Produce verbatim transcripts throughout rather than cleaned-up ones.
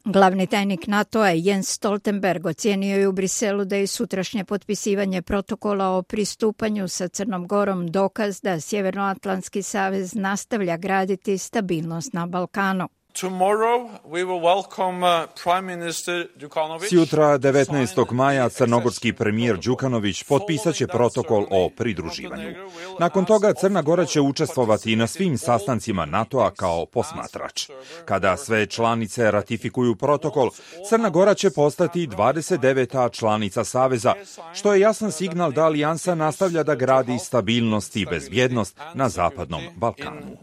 Glavni tajnik NATO-a Jens Stoltenberg ocijenio je u Briselu da je sutrašnje potpisivanje protokola o pristupanju sa Crnom Gorom dokaz da Sjevernoatlantski savez nastavlja graditi stabilnost na Balkanu. Sjutra, devetnaestog maja, crnogorski premijer Đukanović potpisat će protokol o pridruživanju. Nakon toga Crna Gora će učestvovati na svim sastancima NATO-a kao posmatrač. Kada sve članice ratifikuju protokol, Crna Gora će postati dvadeset deveta članica Saveza, što je jasan signal da alijansa nastavlja da gradi stabilnost i bezbjednost na Zapadnom Balkanu.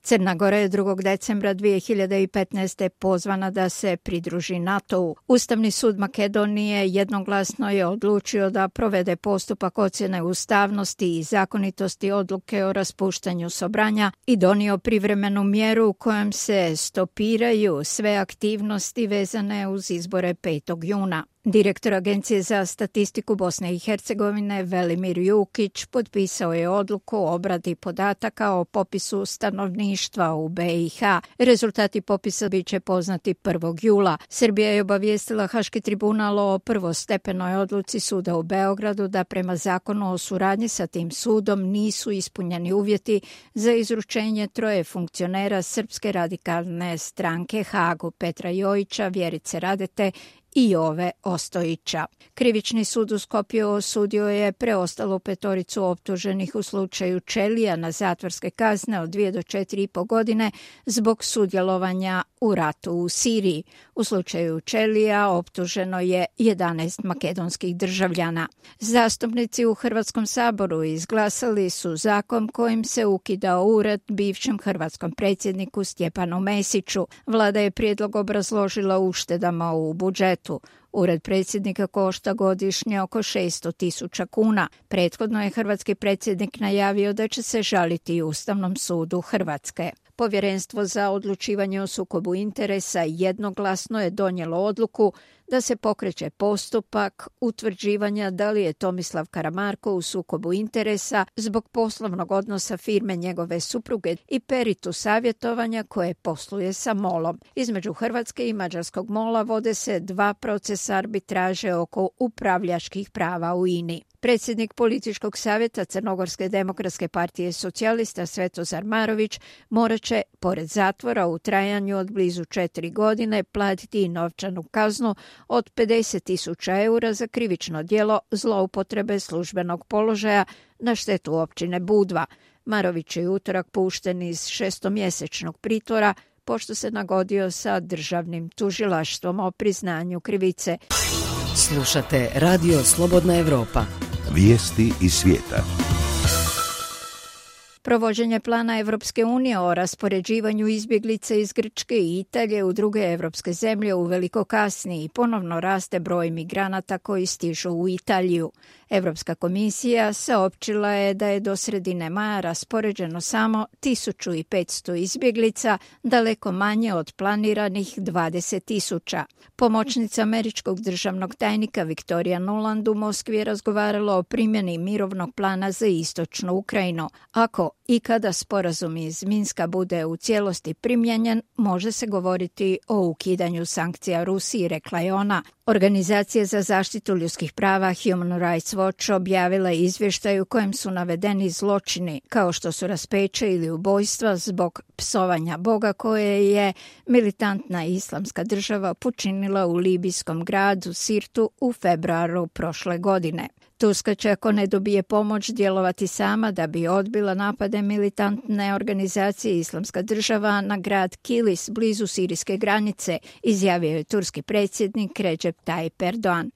Crna Gora je drugog decembra dvije hiljade petnaeste. pozvana da se pridruži NATO-u. Ustavni sud Makedonije jednoglasno je odlučio da provede postupak ocjene ustavnosti i zakonitosti odluke o raspuštanju Sobranja i donio privremenu mjeru u kojem se stopiraju sve aktivnosti vezane uz izbore petog juna. Direktor Agencije za statistiku Bosne i Hercegovine Velimir Jukić potpisao je odluku o obradi podataka o popisu stanovništva u B i H. Rezultati popisa bit će poznati prvog jula. Srbija je obavijestila Haški tribunal o prvostepenoj odluci suda u Beogradu da prema zakonu o suradnji sa tim sudom nisu ispunjeni uvjeti za izručenje troje funkcionera Srpske radikalne stranke Hagu, Petra Jojića, Vjerice Radete i Jove Ostojića. Krivični sud u Skopju osudio je preostalu petoricu optuženih u slučaju Čelija na zatvorske kazne od dvije do četiri i po godine zbog sudjelovanja u ratu u Siriji. U slučaju Čelija optuženo je jedanaest makedonskih državljana. Zastupnici u Hrvatskom saboru izglasali su zakon kojim se ukidao ured bivšem hrvatskom predsjedniku Stjepanu Mesiću. Vlada je prijedlog obrazložila uštedama u budžetu. Ured predsjednika košta godišnje oko šesto tisuća kuna. Prethodno je hrvatski predsjednik najavio da će se žaliti Ustavnom sudu Hrvatske. Povjerenstvo za odlučivanje o sukobu interesa jednoglasno je donijelo odluku da se pokreće postupak utvrđivanja da li je Tomislav Karamarko u sukobu interesa zbog poslovnog odnosa firme njegove supruge i Peritu savjetovanja koje posluje sa molom. Između Hrvatske i mađarskog mola vode se dva procesa arbitraže oko upravljačkih prava u I N I. Predsjednik političkog savjeta Crnogorske demokratske partije socijalista Svetozar Marović morat će, pored zatvora u trajanju od blizu četiri godine, platiti i novčanu kaznu od pedeset tisuća eura za krivično djelo zloupotrebe službenog položaja na štetu općine Budva. Marović je utorak pušten iz šestomjesečnog pritvora pošto se nagodio sa državnim tužilaštvom o priznanju krivice. Slušate Radio Slobodna Evropa. Vijesti iz svijeta. Provođenje plana Evropske unije o raspoređivanju izbjeglica iz Grčke i Italije u druge evropske zemlje uveliko kasni i ponovno raste broj migranata koji stižu u Italiju. Evropska komisija saopćila je da je do sredine maja raspoređeno samo tisuću petsto izbjeglica, daleko manje od planiranih dvadeset tisuća. Pomoćnica američkog državnog tajnika Viktorija Nuland u Moskvi je razgovarala o primjeni mirovnog plana za istočnu Ukrajinu. Ako i kada sporazum iz Minska bude u cijelosti primjenjen, može se govoriti o ukidanju sankcija Rusiji, rekla je ona. Organizacija za zaštitu ljudskih prava Human Rights Watch objavila je izvještaj u kojem su navedeni zločini, kao što su raspeće ili ubojstva zbog psovanja Boga koje je militantna islamska država počinila u libijskom gradu Sirtu u februaru prošle godine. Turska će, ako ne dobije pomoć, djelovati sama da bi odbila napade militantne organizacije Islamska država na grad Kilis blizu sirijske granice, izjavio je turski predsjednik Recep Tayyip Erdogan.